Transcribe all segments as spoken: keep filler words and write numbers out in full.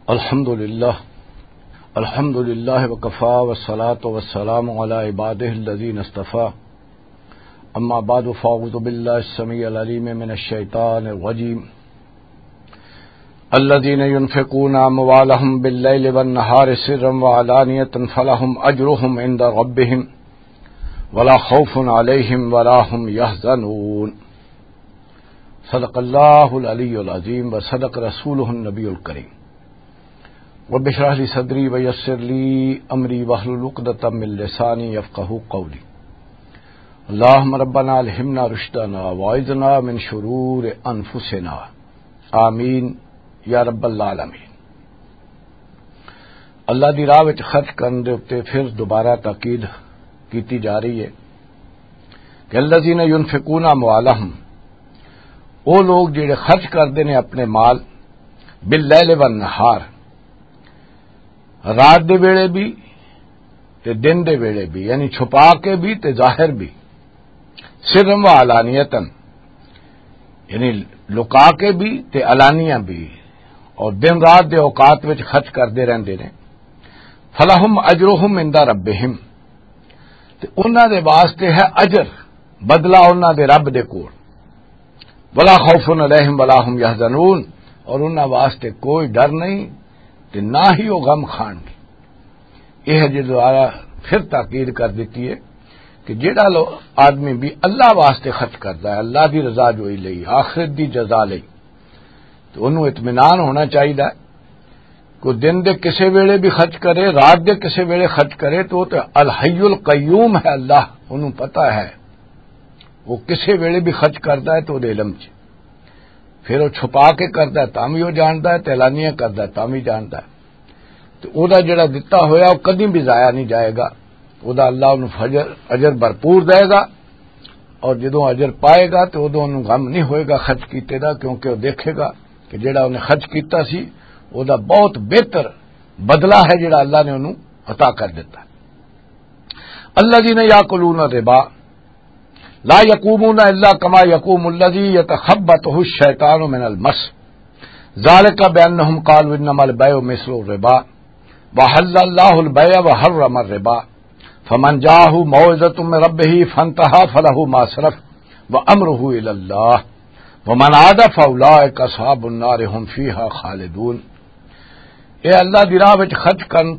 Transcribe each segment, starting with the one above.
الحمد لله. الحمد لله وكفى، والصلاة والسلام على عباده الذين اصطفى. أما بعد، فأعوذ بالله السميع العليم من الشيطان الرجيم. الذين ينفقون أموالهم بالليل والنهار سرا وعلانية فلهم أجرهم عند ربهم ولا خوف عليهم ولا هم يحزنون. صدق الله العلي العظيم وصدق رسوله النبي الكريم. رب اشرح لي صدري ويسر لي أمري واحلل عقدة من لساني يفقهوا قولي. اللهم ربنا ألهمنا رشدنا وأعذنا من شرور أنفسنا. آمين يا رب العالمين. اللہ دی راہ وچ خرچ کرن دے اُتے پھر دوبارہ تاکید کیتی جا رہی ہے کہ الذین ینفقون اموالہم، او لوگ جڑے خرچ کردے نے اپنے مال، باللیل والنہار، رات دے ویلے بھی تے دن دے ویلے بھی، یعنی چھپا کے بھی تے ظاہر بھی، سرا و علانیتاً، یعنی لکا کے بھی تے علانیہ بھی، اور دن رات دے اوقات وچ خرچ کردے رہندے نے، فلہم اجرہم عند ربہم، تے انہاں دے واسطے ہے اجر، بدلہ انہاں دے رب دے کول۔ ولا خوف علیہم ولا هم يحزنون، اور انہاں واسطے کوئی ڈر نہیں تے نہ ہی وہ غم کھان گے۔ یہ ہے جو دوبارہ پھر تاکید کر دیتی ہے کہ جیڑا لو آدمی بھی اللہ واسطے خرچ کرتا ہے، اللہ دی رضا جوئی لئی، آخرت دی جزا لئی، تو انہوں اطمینان ہونا چاہیے۔ کوئی دن دے کسے ویلے بھی خرچ کرے، رات دے کسے ویلے خرچ کرے، تو وہ تے الحی القیوم ہے اللہ، انہوں پتہ ہے وہ کسے ویلے بھی خرچ کردا ہے تو دے علم چ، پھر وہ چھپا کے کردا ہے تاں وی وہ جاندا ہے، تے اعلانیہ کردا ہے تاں وی جاندا ہے۔ تے او دا جڑا دتا ہویا، وہ کدی بھی ضائع نہیں جائے گا۔ او دا اللہ انہوں فجر، اجر بھرپور دے گا، اور جدوں اجر پائے گا، تے اودوں انہوں غم نہیں ہوئے گا خرچ کیتے دا، کیونکہ وہ دیکھے گا کہ جڑا انہیں خرچ کیتا سی، او دا بہت بہتر بدلہ ہے جڑا اللہ نے انہوں عطا کر دیتا۔ الذين يأكلون الربا لا يقومون إلا كما يقوم الذي يتخبطه الشيطان من المس، ذلك بأنهم قالوا إنما البيع مثل الربا، وأحل الله البيع وحرم الربا، فمن جاءه موعظة من ربه فانتهى فله ما سلف وأمره إلى الله، ومن عاد فأولئك أصحاب النار هم فيها خالدون۔ اے اللہ دی راہ وچ خرچ کرن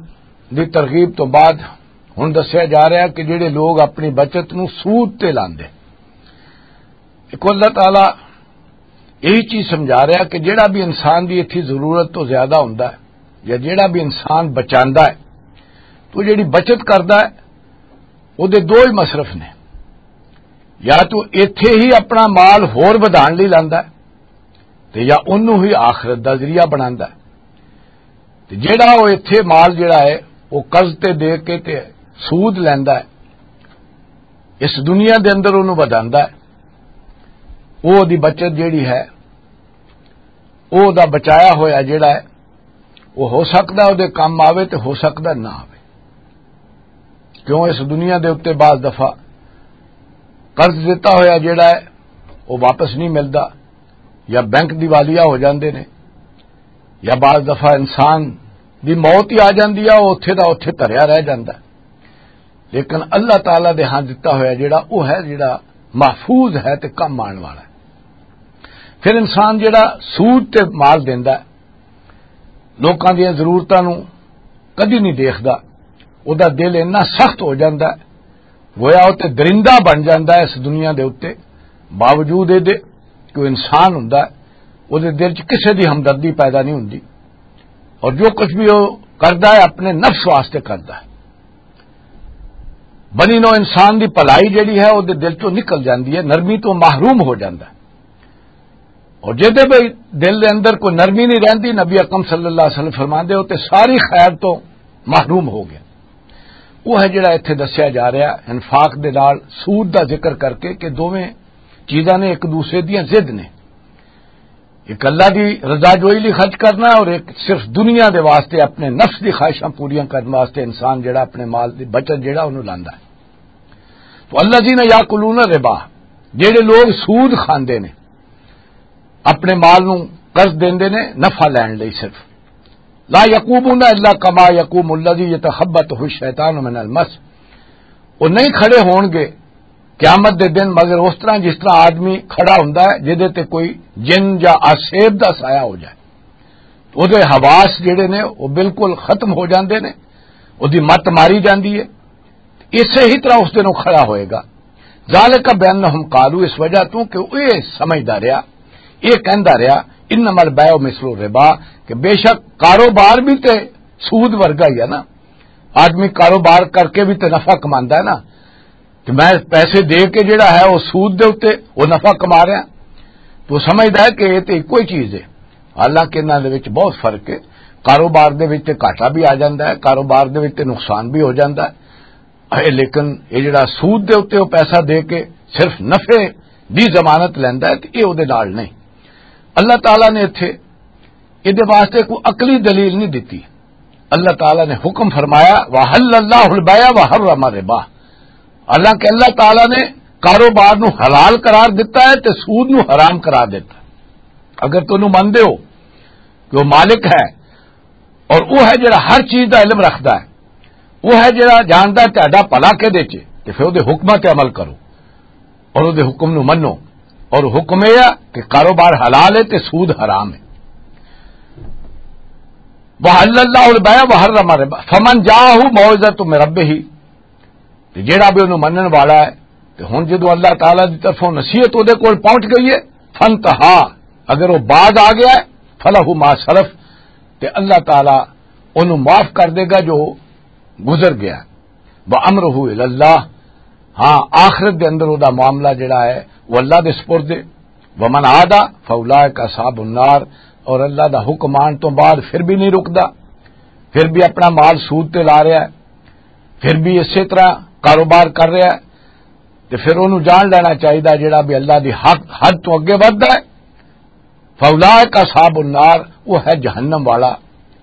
دی ترغیب تو بعد ہن دسیا جا رہا ہے کہ جڑے لوگ اپنی بچت نو سود تے لاندے، ایک اللہ تعالیٰ یہی چیز سمجھا رہا کہ جڑا بھی انسان دی اتھی ضرورت تو زیادہ ہوندا ہے یا جڑا بھی انسان بچاندا ہے، تو جڑی بچت کردا ہے، او دے دو ہی مصرف نے، یا تو ایتھے ہی اپنا مال ہور ودھان لئی لاندا ہے، تے یا اونوں ہی آخرت دا ذریعہ بناندا ہے۔ تے جیڑا او ایتھے مال جیڑا ہے، او قرض تے دے کے تے سود لیندا ہے، اس دنیا دے اندر اونوں ودھاندا ہے، او دی بچت جیڑی ہے، او دا بچایا ہویا جیڑا ہے، او ہو سکدا ہے او دے کم آوے تے ہو سکدا نہ آوے۔ کیوں اس دنیا دے اُتے بعض دفعہ قرض دتا ہویا جیڑا ہے، وہ واپس نہیں ملدا، یا بینک دیوالیہ ہو جاندے نے، یا بعض دفعہ انسان دی موت ہی آ جاندی ہے، وہ اتھے دا اتھے دھریا رہ جاندا ہے۔ لیکن اللہ تعالیٰ دے ہاں دتا ہویا جیڑا، وہ ہے جیڑا محفوظ ہے تے کم آن والا ہے۔ پھر انسان جیڑا سود تے مال دیندا ہے، لوکاں دیاں ضرورتاں نوں کدی نہیں دیکھدا، او دا دل اتنا سخت ہو جاندا ہے، گویا او تے درندہ بن جاندا ہے اس دنیا دے اُتے۔ باوجود اے دے کہ او انسان ہوندا ہے، او دے دل چ کسے دی ہمدردی پیدا نہیں ہوندی، اور جو کچھ بھی او کردا ہے اپنے نفس واسطے کردا ہے۔ بنی نو انسان دی بھلائی جڑی ہے او دے دل چوں نکل جاندی ہے، نرمی تو محروم ہو جاندا ہے۔ اور جدے بھی دل دے اندر کوئی نرمی نہیں رہندی، نبی اکرم صلی اللہ علیہ وسلم فرماندے ہو تے ساری خیر تو محروم ہو گیا۔ وہ ہے جڑا ایتھے دسیا جا رہا انفاق دے نال سود دا ذکر کر کے کہ دوویں چیزاں نے ایک دوسرے دیاں ضد نے۔ ایک اللہ دی رضا جوئی لئی خرچ کرنا اور ایک صرف دنیا دے واسطے اپنے نفس دی خواہشاں پوریاں کرن واسطے انسان جڑا اپنے مال دی بچت جڑا انہوں لاندا ہے۔ تو الذین یاکلون الربا، جڑے لوگ سود کھاندے نے، اپنے مال نوں قرض دیندے نے نفع لین لئی صرف، لا یقومون الا کما یقوم الذی یتخبطہ الشیطان من المس۔ وہ نہیں کھڑے ہون گے قیامت دے دن مگر اس طرح جس طرح آدمی کھڑا ہوندا ہے جدے تے کوئی جن یا آسیب دا سایہ ہو جائے۔ تو دے حواس جڑے نے وہ بالکل ختم ہو جاندے نے، وہ دی مت ماری جاندی ہے۔ اسے ہی طرح اس دن وہ کھڑا ہوئے گا۔ ذالک بانہم قالوا، اس وجہ تو کہ وہ یہ سمجھدا رہیا، یہ کہندا رہیا، انما البیع مثل الربا، کہ بے شک کاروبار بھی تے سود ورگا ہی ہے نا۔ آدمی کاروبار کر کے بھی تے نفع کماندا ہے نا۔ کہ میں پیسے دے کے جڑا ہے وہ سود دے اُتے وہ نفع کما رہا، تو سمجھدا ہے کہ یہ تے کوئی چیز ہے۔ حالانکہ انہاں دے وچ بہت فرق ہے۔ کاروبار دے وچ تے گھاٹا بھی آ جاندا ہے، کاروبار دے وچ تے نقصان بھی ہو جاندا ہے۔ اے لیکن یہ جڑا سود دے اُتے وہ پیسہ دے کے صرف نفع دی ضمانت لیندا ہے، تے یہ اودے نال نہیں۔ اللہ تعالیٰ نے اتھے یہ دے واسطے کوئی عقلی دلیل نہیں دتی۔ اللہ تعالیٰ نے حکم فرمایا، وحل اللہ البیع وحرم الربا۔ حالانکہ اللہ تعالیٰ نے کاروبار نو حلال قرار دیتا ہے تے سود نو حرام قرار دیتا ہے۔ اگر تم مندے ہو کہ وہ مالک ہے اور وہ ہے جڑا ہر چیز دا علم رکھدا ہے، وہ ہے جڑا جاندا ہے تہاڈا بھلا کدے چ، تے پھر اودے حکماں تے عمل کرو اور اودے حکم نو منو۔ اور حکم یہ ہے کہ کاروبار حلال ہے تے سود حرام ہے۔ وحل اللہ البیع وحرم الربا فمن جاءہ موعظۃ من ربہ، تے جیڑا بھی انہوں منن والا ہے، تے ہن جدوں اللہ تعالیٰ دی طرفوں نصیحت اودے کول پہنچ گئی ہے، فانتہا، اگر وہ باز آ گیا ہے، فلہ ما سلف، تے اللہ تعالیٰ انہوں معاف کر دے گا جو گزر گیا۔ وامرہ الی اللہ، ہاں، آخرت دے اندر او دا معاملہ جڑا ہے وہ اللہ دے سپرد ہے۔ ومن عاد فاولئک اصحاب النار، اور اللہ دا حکم آن تو بعد پھر بھی نہیں رکدا، پھر بھی اپنا مال سود تے لا رہا ہے، پھر بھی اسی طرح کاروبار کر رہا ہے، تے پھر اونوں جان لینا چاہیدا جڑا بھی اللہ دی حق حد تو اگے ودھدا ہے۔ فاولئک اصحاب النار، وہ ہے جہنم والا،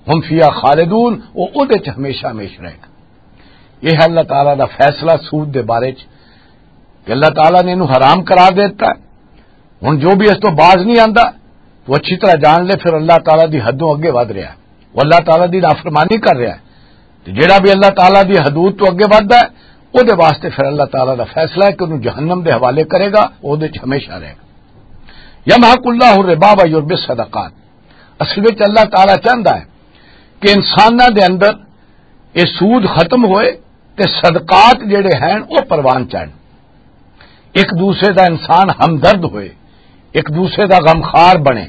ہم فیہا خالدون، وہ اودے چ ہمیشہ ہمیش رہے گا۔ یہ ہے اللہ تعالیٰ دا فیصلہ سود دے بارے چ کہ اللہ تعالیٰ نے انہوں حرام قرار دے دیتا ہے۔ ہن جو بھی اس تو باز نہیں آندا، تو اچھی طرح جان لے، پھر اللہ تعالیٰ دی حدوں اگے ودھ رہا ہے، وہ اللہ تعالیٰ دی نافرمانی کر رہا ہے۔ تے جڑا بھی اللہ تعالیٰ دی حدود تو اگے ودھدا ہے، او دے واسطے پھر اللہ تعالیٰ دا فیصلہ ہے کہ انہوں جہنم دے حوالے کرے گا، او دے چ ہمیشہ رہے گا۔ یمحق اللہ الربا و یربی الصدقات۔ اصل وچ اللہ تعالیٰ چاہندا ہے کہ انساناں دے اندر یہ سود ختم ہوئے تے صدقات جڑے ہیں وہ پروان چڑھن۔ ایک دوسرے دا انسان ہمدرد ہوئے، ایک دوسرے دا غمخوار بنے،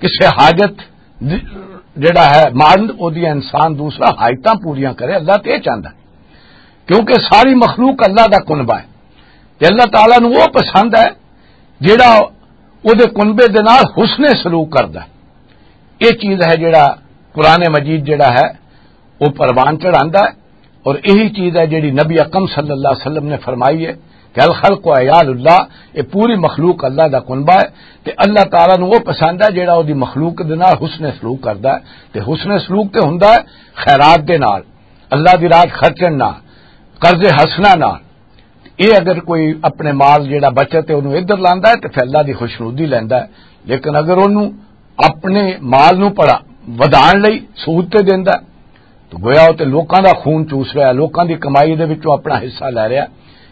کسے حاجت د-، جڑا ہے مند، او دی انسان دوسرا حاجتاں پوریاں کرے، اللہ تے یہ چاہندا ہے۔ کیونکہ ساری مخلوق اللہ دا کنبہ ہے تے اللہ تعالیٰ نوں وہ پسند ہے جڑا او دے کنبے دے نال حسن سلوک کردا ہے۔ یہ چیز ہے جڑا قرآن مجید جڑا ہے وہ پروان چڑھاندا ہے۔ اور یہی چیز ہے جڑی نبی اکرم صلی اللہ علیہ وسلم نے فرمائی ہے کہ الخلق و عیال اللہ، یہ پوری مخلوق اللہ دا کنبہ ہے۔ تے اللہ تعالیٰ نوں وہ پسند ہے جڑا وہ دی مخلوق دے نال حسن سلوک کردا ہے۔ تے حسن سلوک تے ہوندا ہے خیرات دے نال، اللہ دی راہ خرچن نال، قرض حسنہ نال۔ یہ اگر کوئی اپنے مال جڑا بچت ہے انہوں ادھر لاندا ہے تے پھر اللہ دی خوشنودی لیندا ہے۔ لیکن اگر انہوں اپنے مال نوں پڑا ودھان لئی سود تے دیندا ہے، تو گویا وہ تے لوکاں دا خون چوس رہا ہے، لوکاں دی کمائی دے وچوں اپنا حصہ لے رہا ہے۔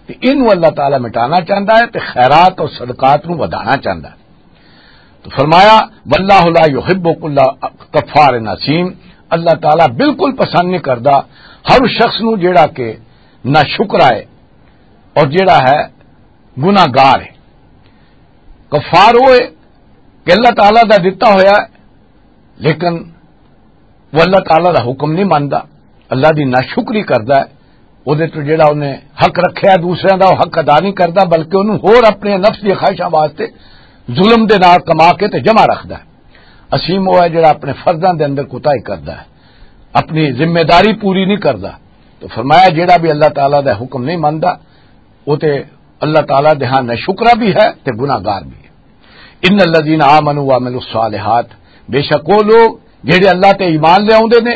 تے اینوں اللہ تعالیٰ مٹانا چاہندا ہے تے خیرات اور صدقات نوں ودھانا چاہندا ہے۔ تو فرمایا، واللہ لا یحب کل کفار اثیم، اللہ تعالیٰ بالکل پسند نہیں کردا ہر اس شخص نوں جیڑا کہ نہ شکر آئے اور جیڑا ہے گناہ گار ہے۔ کفار وہ ہے کہ اللہ تعالیٰ دا دتا ہویا ہے، لیکن وہ اللہ تعالیٰ دا حکم نہیں مندا، اللہ دی ناشکری کردا ہے، وہ دے تو جڑا انہیں حق رکھیا دوسرے دا، وہ حق ادا نہیں کردا، بلکہ انہوں ہور اپنے نفس دی خواہشاں واسطے ظلم دے نال کما کے تے جمع رکھدا ہے۔ اسیم وہ ہے جڑا اپنے فرضاں دے اندر کوتاہی کردا ہے، اپنی ذمہ داری پوری نہیں کردا۔ تو فرمایا، جڑا بھی اللہ تعالیٰ دا حکم نہیں مندا، وہ تے اللہ تعالیٰ دے ہاں ناشکرا بھی ہے تے گناہ گار بھی ہے۔ ان الذین آمنوا وعملوا الصالحات، بے شک وہ لوگ جڑے اللہ تے ایمان لے آوندے نے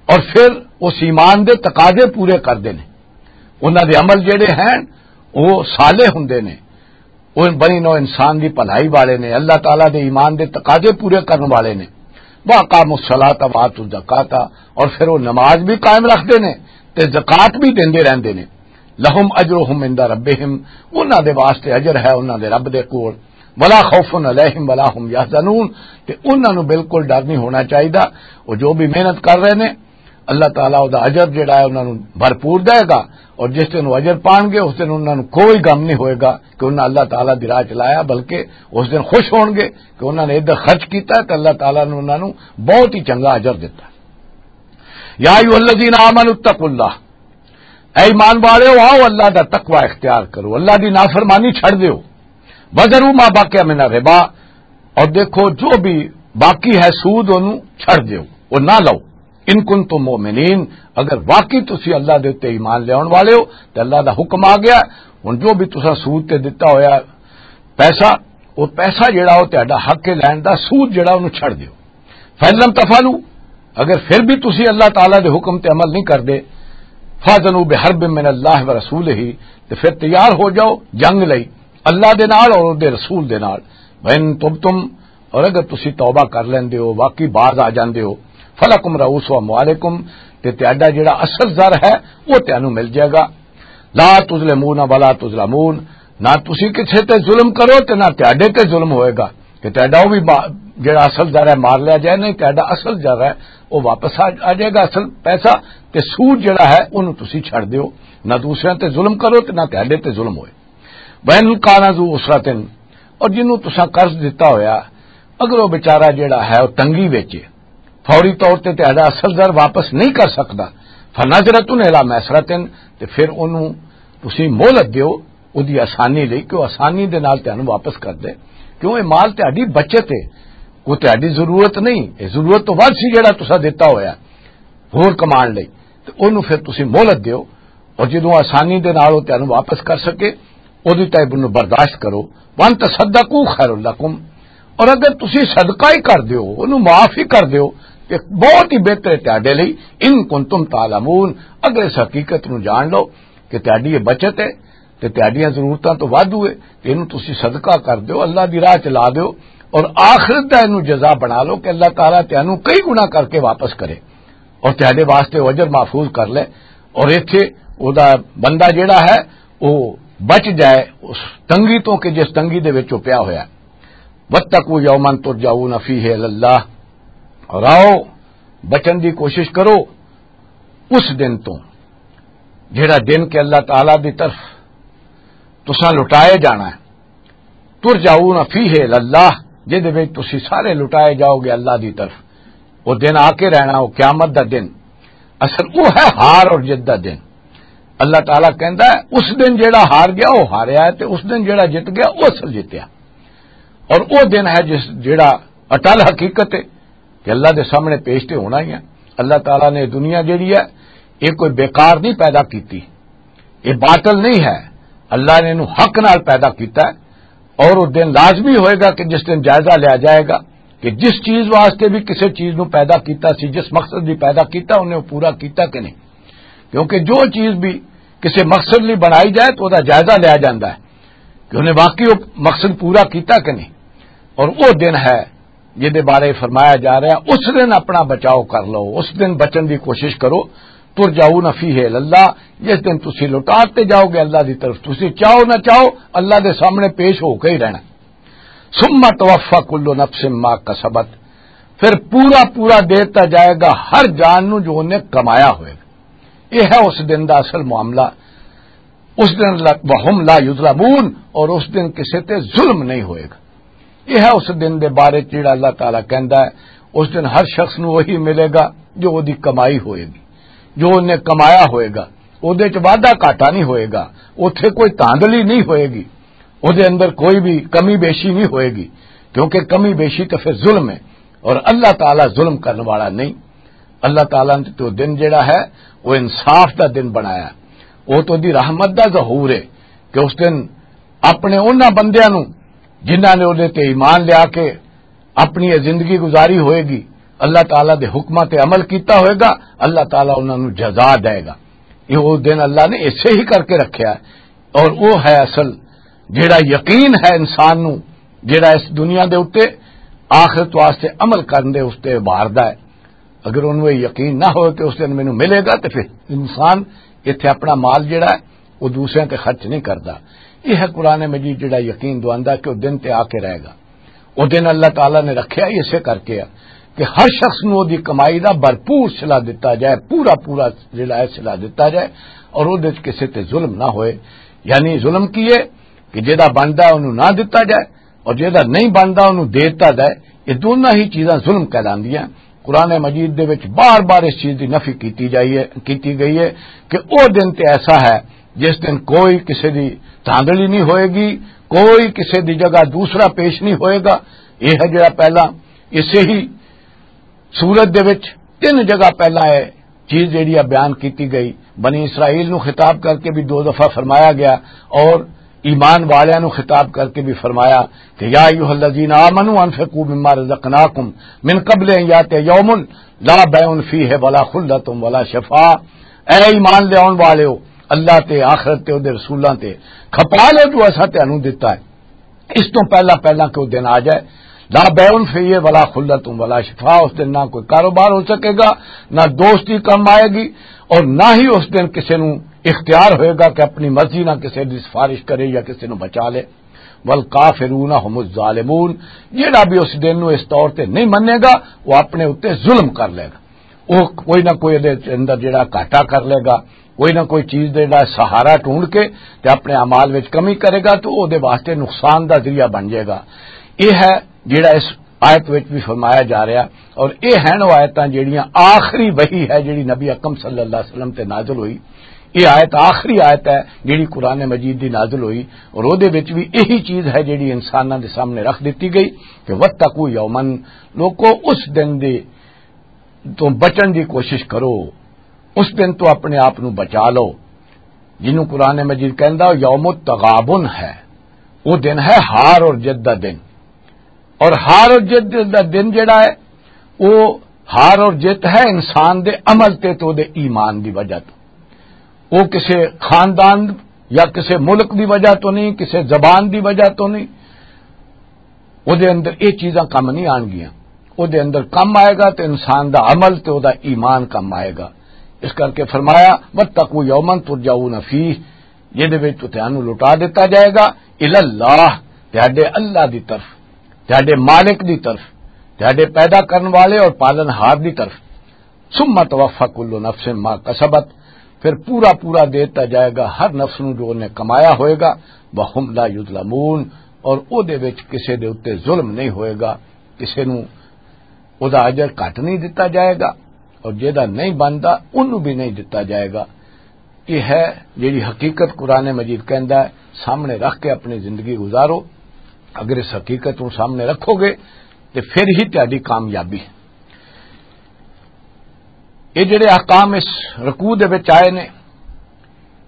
اور پھر اس ایمان دے تقاضے پورے کردے نے، انہاں دے عمل جڑے ہیں وہ صالح ہوندے نے، وہ بنی نوع انسان دی بھلائی والے نے، اللہ تعالیٰ دے ایمان دے تقاضے پورے کرن والے نے۔ وَأَقَامُوا الصَّلَاةَ وَآتَوُا الزَّكَاةَ، اور پھر وہ نماز بھی قائم رکھتے نے تے زکوٰۃ بھی دیندے رہندے نے۔ لَهُمْ أَجْرُهُمْ عِندَ رَبِّهِمْ، انہاں دے واسطے اجر ہے انہاں دے رب دے کول۔ وَلَا خَوْفٌ عَلَيْهِمْ وَلَا هُمْ يَحْزَنُونَ، تے انہاں نوں بالکل ڈر نہیں ہونا چاہیدا۔ وہ جو بھی محنت کر رہے نے، اللہ تعالیٰ دا اجر جڑا ہے انہاں نوں بھرپور دے گا، اور جس دن وہ اجر پان گے، اس دن انہاں نوں کوئی غم نہیں ہوئے گا کہ انہاں اللہ تعالیٰ دی راہ چلایا، بلکہ اس دن خوش ہون گے کہ انہاں نے ادھر خرچ کیتا ہے تے اللہ تعالیٰ نے انہاں نوں بہت ہی چنگا اجر دتا۔ یا ایھا الذین آمنوا اتقوا اللہ، اے ایمان والےو، آؤ اللہ دا تقوی اختیار کرو، اللہ دی نافرمانی چھڑ دیو۔ وذروا ما بقی من الربا، اور دیکھو جو بھی باقی ہے سود، انہوں چھڑ دیو، وہ نہ لو۔ ان کنتم مؤمنین، اگر واقعی تسی اللہ دے اُتے ایمان لیاون والے ہو، تے اللہ دا حکم آ گیا، ہن جو بھی تساں سود تے دتا ہویا پیسہ، وہ پیسہ جڑا وہ تہاڈا حق ہے لین دا، سود جڑا انہوں چھڑ دیو۔ فَإِن لَّمْ تَفْعَلُوا، اگر پھر بھی تسی اللہ تعالیٰ دے حکم تے عمل نہیں کردے، فَأْذَنُوا بِحَرْبٍ مِّنَ اللَّهِ وَرَسُولِهِ، تے پھر تیار ہو جاؤ جنگ لئی اللہ دے نال اور دے رسول دے نال۔ وَإِن تُبْتُمْ، اور اگر تسی توبہ کر لیندے ہو، واقعی باز آ جاندے ہو، فَلَكُمْ رُءُوسُ أَمْوَالِكُمْ، تے تہاڈا جڑا اصل زر ہے، وہ تہانوں مل جائے گا۔ لَا تُظْلِمُونَ وَلَا تُظْلَمُونَ، نہ تسی کسے تے ظلم کرو تے نہ تہاڈے تے ظلم ہوئے گا کہ تہاڈا وہ بھی با-، جڑا اصل زر ہے مار لیا جائے، نہیں تہاڈا اصل زر ہے وہ واپس آ، آ جائے گا، اصل پیسہ، تے سود جڑا ہے انہوں تسی چھڑ دیو، نہ دوسرے تے ظلم کرو تے نہ تہاڈے تے ظلم ہوئے۔ وَإِن كَانَ ذُو عُسْرَةٍ، اور جنوں تساں قرض دتا ہویا، اگر وہ بیچارہ جڑا ہے وہ تنگی وچ ہے، فوری طور تے تہاڈا اصل زر واپس نہیں کر سکدا، فَنَظِرَةٌ إِلَىٰ مَيْسَرَةٍ، تے پھر اونوں تسی مہلت دیو، اودی آسانی لئی، کہ وہ آسانی دے نال تہانوں واپس کر دے، کیوں یہ مال تہاڈی بچت ہے، وہ تہاڈی ضرورت نہیں، یہ ضرورت تو ود سی جڑا تساں دتا ہویا ہور کمان لئی، تے اونوں پھر تسی مہلت دیو، اور جدوں آسانی دے نال وہ تہانوں واپس کر سکے، اودی تائب انہوں برداشت کرو۔ وَأَن تَصَدَّقُوا خَيْرٌ لَّكُمْ، اور اگر تسی صدقہ ہی کر دیو، انہوں معاف ہی کر دیو، تے بہت ہی بہتر ہے تہاڈے لئی۔ ان کنتم تعلمون، اگر اس حقیقت نوں جان لو کہ تہاڈی یہ بچت ہے تے تہاڈیاں ضرورتاں تو وادھو ہے، تے اینوں تسی صدقہ کر دیو، اللہ دی راہ چ لا دیو، اور آخرت دا اینوں جزا بنا لو کہ اللہ تعالیٰ تہانوں کئی گنا کر کے واپس کرے اور تہاڈے واسطے وہ اجر محفوظ کر لے، اور ایتھے او دا بندہ جڑا ہے، وہ بچ جائے اس تنگی تو کہ جس تنگی دے وچ وہ پیا ہویا ہے۔ وَاتَّقُوا يَوْمًا تُرْجَعُونَ فِيهِ إِلَى اللَّهِ، اور آؤ، بچن دی کوشش کرو اس دن تو، جڑا دن کہ اللہ تعالیٰ دی طرف تساں لٹائے جانا ہے۔ ترجعون فیہ الی اللہ، جدے وچ تسی سارے لٹائے جاؤ گے اللہ دی طرف۔ وہ دن آ کے رہنا، وہ قیامت دا دن۔ اصل وہ ہے ہار اور جت دا دن۔ اللہ تعالیٰ کہندا ہے، اس دن جیڑا ہار گیا، وہ ہاریا ہے، تے اس دن جیڑا جت گیا، وہ اصل جتیا۔ اور وہ دن ہے جس، جیڑا اٹل حقیقت ہے کہ اللہ دے سامنے پیش تے ہونا ہی ہے۔ اللہ تعالیٰ نے دنیا جیڑی ہے، یہ کوئی بیکار نہیں پیدا کیتی، یہ باطل نہیں ہے۔ اللہ نے انہوں حق نال پیدا کیتا ہے، اور وہ دن لازمی ہوئے گا کہ جس دن جائزہ لیا جائے گا کہ جس چیز واسطے بھی کسی چیز نو پیدا کیتا سی، جس مقصد دی پیدا کیتا، انہیں وہ پورا کیتا کہ نہیں۔ کیونکہ جو چیز بھی کسی مقصد لئی بنائی جائے تو وہ دا جائزہ لیا جاتا ہے کہ انہیں واقعی وہ مقصد پورا کیتا کہ نہیں۔ اور وہ دن ہے جس دے بارے فرمایا جا رہا ہے، اس دن اپنا بچاؤ کر لو، اس دن بچن دی کوشش کرو۔ ترجعون فیہ الی اللہ، جس دن تسی لوٹاتے جاؤ گے اللہ دی طرف، تسی چاہو نہ چاہو اللہ دے سامنے پیش ہو کے ہی رہنا۔ ثم توفی کل نفس ما کسبت، پھر پورا پورا دیتا جائے گا ہر جان نو جو انہیں کمایا ہوئے گا۔ یہ ہے اس دن دا اصل معاملہ۔ اس دن لا، وَهُمْ لَا يُظْلَمُونَ، اور اس دن کسے تے ظلم نہیں ہوئے گا۔ یہ ہے اس دن دے بارے چ جڑا اللہ تعالیٰ کہندا ہے، اس دن ہر شخص نو وہی ملے گا جو وہ دی کمائی ہوئے گی، جو انہیں کمایا ہوئے گا۔ وہ دے چ وعدہ گھاٹا نہیں ہوئے گا، اتھے کوئی دھاندلی نہیں ہوئے گی، وہ دے اندر کوئی بھی کمی بیشی نہیں ہوئے گی، کیونکہ کمی بیشی تو پھر ظلم ہے، اور اللہ تعالیٰ ظلم کرنے والا نہیں۔ اللہ تعالیٰ نے تو دن جڑا ہے، وہ انصاف دا دن بنایا۔ وہ تو دی رحمت دا ظہور ہے کہ اس دن اپنے انہاں بندیاں نو، جنہاں نے اودے تے ایمان لیا کے اپنی یہ زندگی گزاری ہوئے گی، اللہ تعالیٰ دے حکماں تے عمل کیتا ہوئے گا، اللہ تعالیٰ انہاں نو جزا دے گا۔ یہ وہ دن اللہ نے ایسے ہی کر کے رکھیا ہے۔ اور وہ ہے اصل جڑا یقین ہے انسان نو، جڑا اس دنیا دے اُتے آخرت واسطے عمل کرن دے اس تے ابھاردا ہے۔ اگر انہوں یہ یقین نہ ہو کہ اس دن مینوں ملے گا، تو پھر انسان اتھے اپنا مال جڑا ہے، وہ دوسرے تے خرچ نہیں کردا۔ یہ ہے قرآن مجید جڑا یقین دواندا کہ وہ دن تے آ کے رہے گا۔ وہ دن اللہ تعالیٰ نے رکھیا ہی اسے کر کے ہے کہ ہر شخص نوں دی کمائی دا بھرپور صلہ دتا جائے، پورا پورا جڑا ہے صلہ دتا جائے، اور وہ کسے تے ظلم نہ ہوئے۔ یعنی ظلم کی ہے کہ جیڑا بندا ہے، انہوں نہ دتا جائے، اور جیڑا نہیں بندا، انہوں دے دتا جائے۔ یہ دونوں ہی چیزاں ظلم کہلاندیاں۔ قرآن مجید دے وچ بار بار اس چیز دی نفی کیتی جائی ہے، کیتی گئی ہے کہ او دن تے ایسا ہے جس دن کوئی کسے دی دھاندلی نہیں ہوئے گی، کوئی کسے دی جگہ دوسرا پیش نہیں ہوئے گا۔ یہ ہے جڑا پہلا، اسے ہی سورت دے وچ تین جگہ پہلا ہے چیز جیڑی آ بیان کیتی گئی۔ بنی اسرائیل نو خطاب کر کے بھی دو دفعہ فرمایا گیا، اور ایمان والیاں نو خطاب کر کے بھی فرمایا کہ یا ایھا الذین آمنوا انفقوا مما رزقناکم من قبل ان یاتی یوم لا بیع فیہ ولا خلۃ ولا شفاعہ۔ اے ایمان لے آن والےو، اللہ تے، آخرت تے، اودے رسولاں تے، کھپا لو جو اساں تانوں دتا ہے۔ اس تو پہلا پہلا کہ وہ دن آ جائے، لا بیع فیہ ولا خلۃ ولا شفاء، اس دن نہ کوئی کاروبار ہو سکے گا، نہ دوستی کم آئے گی، اور نہ ہی اس دن کسی نو اختیار ہوئے گا کہ اپنی مرضی نہ کسی دی سفارش کرے یا کسی نو بچا لے۔ والکافرون هم الظالمون، جیڑا بھی اس دن نو اس طور تے نہیں منے گا، وہ اپنے اُتے ظلم کر لے گا۔ وہ کوئی نہ کوئی دے اندر جڑا گھاٹا کر لے گا، کوئی نہ کوئی چیز دے جڑا سہارا ڈھونڈ کے تے اپنے اعمال وچ کمی کرے گا، تو او دے واسطے نقصان دا ذریعہ بن جائے گا۔ یہ ہے جڑا اس آیت وچ بھی فرمایا جا رہا، اور یہ ہیں وہ آیتاں جڑیاں آخری وحی ہے جڑی نبی اکرم صلی اللہ علیہ وسلم تے نازل ہوئی۔ یہ آیت آخری آیت ہے جڑی قرآن مجید دی نازل ہوئی، اور او دے وچ بھی یہی چیز ہے جڑی انساناں دے سامنے رکھ دتی گئی کہ وَاتَّقُوا يَوْمًا، لوکو، اس دن دے تو بچن دی کوشش کرو، اس دن تو اپنے آپ نو بچا لو، جنوں قرآن مجید کہندا یوم التغابن ہے۔ وہ دن ہے ہار اور جت دا دن۔ اور ہار اور جت دا دن جڑا ہے، وہ ہار اور جت ہے انسان دے عمل تے تو دے ایمان دی وجہ تو۔ وہ کسے خاندان یا کسے ملک دی وجہ تو نہیں، کسے زبان دی وجہ تو نہیں۔ او دے اندر یہ چیزاں کم نہیں آن گیاں۔ او دے اندر کم آئے گا تے انسان دا عمل تے او دا ایمان کم آئے گا۔ اس کر کے فرمایا، "واتقوا یوما ترجعون فیہ"، جے دے وچ تو تانوں لٹا دتا جائے گا، الی اللہ، تہاڈے اللہ دی طرف، تہاڈے مالک دی طرف، تہاڈے پیدا کرن والے اور پالن ہار دی طرف۔ ثم توفی کل نفس ما کسبت، پھر پورا پورا دے دتا جائے گا ہر نفس نو جو انہیں کمایا ہوئے گا، وہم لا یظلمون، اور او دے وچ کسے دے اُتے ظلم نہیں ہوئے گا، کسے نو او دا اجر گھٹ نہیں دتا جائے گا، اور جیدا نہیں بندا، اونوں بھی نہیں دتا جائے گا۔ یہ ہے جیڑی حقیقت قرآن مجید کہندا ہے، سامنے رکھ کے اپنی زندگی گزارو۔ اگر اس حقیقت کو سامنے رکھو گے تو پھر ہی تہاڈی کامیابی ہے۔ یہ جڑے احکام اس رکوع دے وچ آئے نے،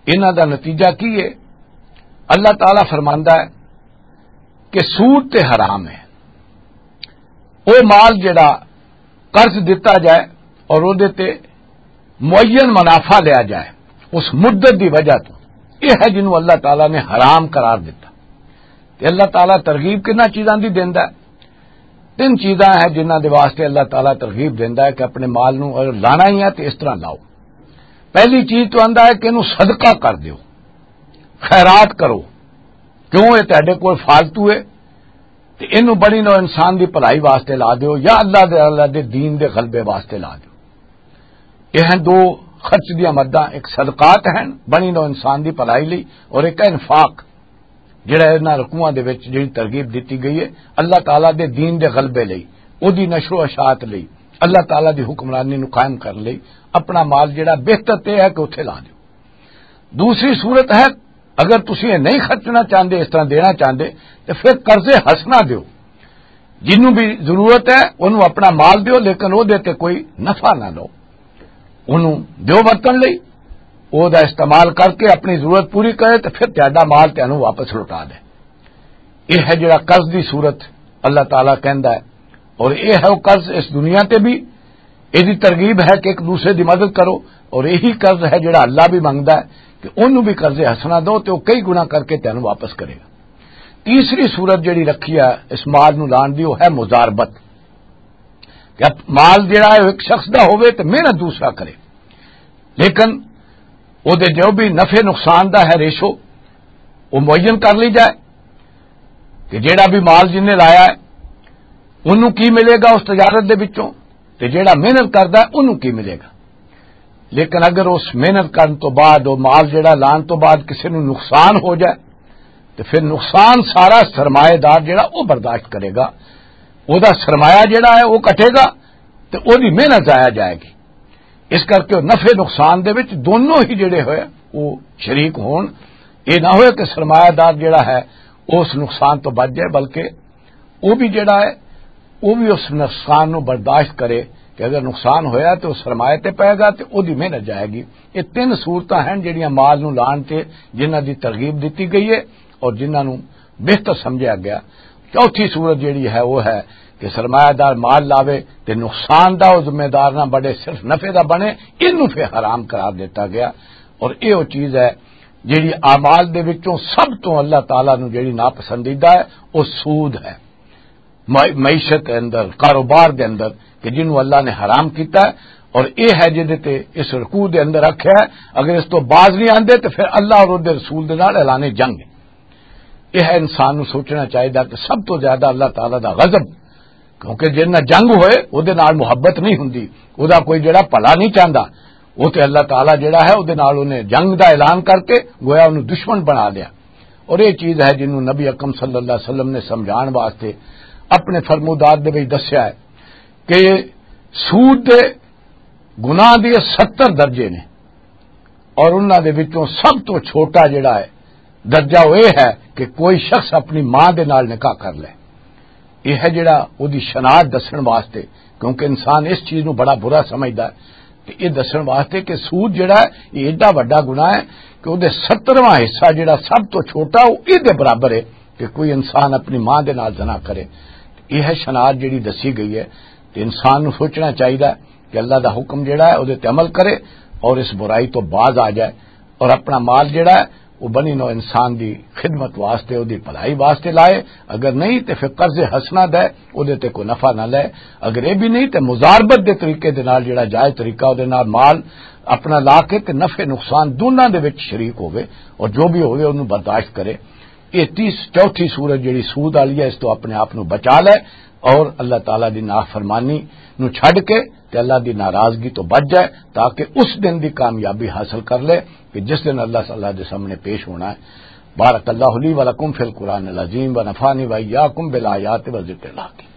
انہاں دا نتیجہ کی ہے؟ اللہ تعالیٰ فرماندا ہے کہ سود تے حرام ہے۔ او مال جڑا قرض دتا جائے اور او دے تے معین منافع لیا جائے اس مدت دی وجہ تو، یہ ہے جنوں اللہ تعالیٰ نے حرام قرار دتا۔ تے اللہ تعالیٰ ترغیب کنا چیزاں دی دیندا ہے؟ تین چیزاں ہے جنہاں دے واسطے اللہ تعالیٰ ترغیب دیندا ہے کہ اپنے مال نو اگر لانا ہی ہے تے اس طرح لاؤ۔ پہلی چیز تو آندا ہے کہ انہوں صدقہ کر دیو، خیرات کرو، کیوں یہ تہاڈے کول فالتو ہے، تے اینوں بڑی نو انسان دی بھلائی واسطے لا دیو یا اللہ دے، اللہ دے دین دے غلبے واسطے لا دیو۔ یہ ہیں دو خرچ دیاں مداں، ایک صدقات ہیں بڑی نو انسان دی بھلائی لئی، اور ایک ہے انفاق، جڑا انہاں رکوعاں دے وچ جڑی ترغیب دتی گئی ہے اللہ تعالیٰ دے دین دے غلبے لئی، او دی نشر و اشاعت لئی، اللہ تعالیٰ دی حکمرانی نو قائم کرن لئی اپنا مال جڑا بہتر تے ہے کہ اتھے لا دیو۔ دوسری صورت ہے، اگر تسی یہ نہیں خرچنا چاہندے، اس طرح دینا چاہندے، تو پھر قرض حسنہ دیو۔ جنوں بھی ضرورت ہے، انہوں اپنا مال دیو، لیکن وہ دے تے کوئی نفع نہ لو۔ انہوں دیو ورتن لئی، وہ دا استعمال کر کے اپنی ضرورت پوری کرے، تو پھر تہاڈا مال تینوں واپس لوٹا دے۔ یہ ہے جڑا قرض دی صورت اللہ تعالیٰ کہندا ہے۔ اور یہ ہے وہ قرض اس دنیا تے بھی، یہ دی ترغیب ہے کہ ایک دوسرے دی مدد کرو، اور یہی قرض ہے جڑا اللہ بھی منگدا ہے کہ انہوں بھی قرض حسنہ دو تے وہ کئی گنا کر کے تینوں واپس کرے گا۔ تیسری صورت جڑی رکھی ہے اس مال نو لان دی، وہ ہے مضاربت۔ کہ اب مال جڑا ہے، وہ ایک شخص دا ہوئے تے محنت دوسرا کرے، لیکن وہ دے جو بھی نفع نقصان دا ہے ریشو، وہ معین کر لی جائے کہ جڑا بھی مال جن نے لایا ہے، انہوں کی ملے گا اس تجارت دے وچوں، تے جڑا محنت کردا ہے، انہوں کی ملے گا۔ لیکن اگر اس محنت کرن تو بعد، وہ مال جڑا لان تو بعد کسی نوں نقصان ہو جائے، تو پھر نقصان سارا سرمایہ دار جڑا وہ برداشت کرے گا، وہ دا سرمایہ جڑا ہے وہ کٹے گا، تو وہ دی محنت ضائع جائے گی۔ اس کر کے نفع نقصان دے وچ دونوں ہی جڑے ہوئے وہ شریک ہون۔ یہ نہ ہوئے کہ سرمایہ دار جڑا ہے وہ اس نقصان تو بچ جائے، بلکہ وہ بھی جڑا ہے، وہ بھی اس نقصان نو برداشت کرے کہ اگر نقصان ہویا تو سرمایہ تے پائے گا، تے او دی محنت جائے گی۔ یہ تین صورتاں ہیں جڑیاں مال نو لان تے، جنہاں دی ترغیب دتی گئی ہے اور جنہاں نو بہتر سمجھا گیا۔ چوتھی صورت جڑی ہے، وہ ہے کہ سرمایہ دار مال لاوے تے نقصان دا وہ ذمہ دار نہ بنے، صرف نفع دا بنے، اینو پھر حرام قرار دیتا گیا۔ اور یہ وہ چیز ہے جڑی اعمال دے وچوں سب تو اللہ تعالیٰ نو جڑی ناپسندیدہ ہے، وہ سود ہے۔ مع-، معیشت دے اندر، کاروبار دے اندر، کہ جنوں اللہ نے حرام کیتا ہے، اور یہ ہے جدے تے اس رکوع دے اندر رکھیا ہے۔ اگر اس تو باز نہیں آندے تو پھر اللہ اور اس دے رسول دے نال اعلان جنگ ہے۔ یہ ہے انسان نوں سوچنا چاہیدا کہ سب تو زیادہ اللہ تعالیٰ دا غضب، کیونکہ جن نال جنگ ہوئے، او دے نال محبت نہیں ہوندی، او دا کوئی جڑا بھلا نہیں چاہندا، او تے اللہ تعالیٰ جڑا ہے، او دے نال انہیں جنگ دا اعلان کر کے گویا انہوں دشمن بنا لیا۔ اور یہ چیز ہے جنہوں نبی اکرم صلی اللہ علیہ وسلم نے سمجھان واسطے اپنے فرمودات دے وچ دسیا ہے کہ سود دے گناہ دے ستر درجے نے، اور انہاں دے وچوں سب تو چھوٹا جڑا ہے درجہ، وہ یہ ہے کہ کوئی شخص اپنی ماں دے نال نکاح کر لے۔ یہ ہے جڑا وہ دی شناخت دسن واسطے، کیونکہ انسان اس چیز نو بڑا برا سمجھدا ہے۔ تے یہ دسن واسطے کہ سود جڑا ہے، یہ ایڈا وڈا گناہ ہے کہ وہ دے سترواں حصہ جڑا سب تو چھوٹا، وہ یہ دے برابر ہے کہ کوئی انسان اپنی ماں دے نال زنا کرے۔ یہ ہے شناخت جڑی دسی گئی ہے۔ تے انسان نو سوچنا چاہیدا ہے کہ اللہ دا حکم جڑا ہے، وہ تے عمل کرے اور اس برائی تو باز آ جائے، اور اپنا مال جڑا ہے، وہ بنی نو انسان دی خدمت واسطے، وہ دی بھلائی واسطے لائے۔ اگر نہیں تے پھر قرض حسنہ دے، وہ دے تے کوئی نفع نہ لے۔ اگر یہ بھی نہیں تے مزاربت دے طریقے دے نال، جڑا جائز طریقہ، وہ دے نال مال اپنا لا کے تے نفع نقصان دونوں دے وچ شریک ہوئے، اور جو بھی ہوئے انہوں برداشت کرے۔ یہ تیس، چوتھی صورت جڑی سود والی ہے، اس تو اپنے آپ نو بچا لے اور اللہ تعالیٰ دی نافرمانی نو چھڈ کے تے اللہ دی ناراضگی تو بچ جائے، تاکہ اس دن دی کامیابی حاصل کر لے کہ جس دن اللہ تعالیٰ دے سامنے پیش ہونا ہے۔ بارک اللہ لی و لکم فی القرآن العظیم و نفعنی و ایاکم بالآیات و ذکر الحکیم۔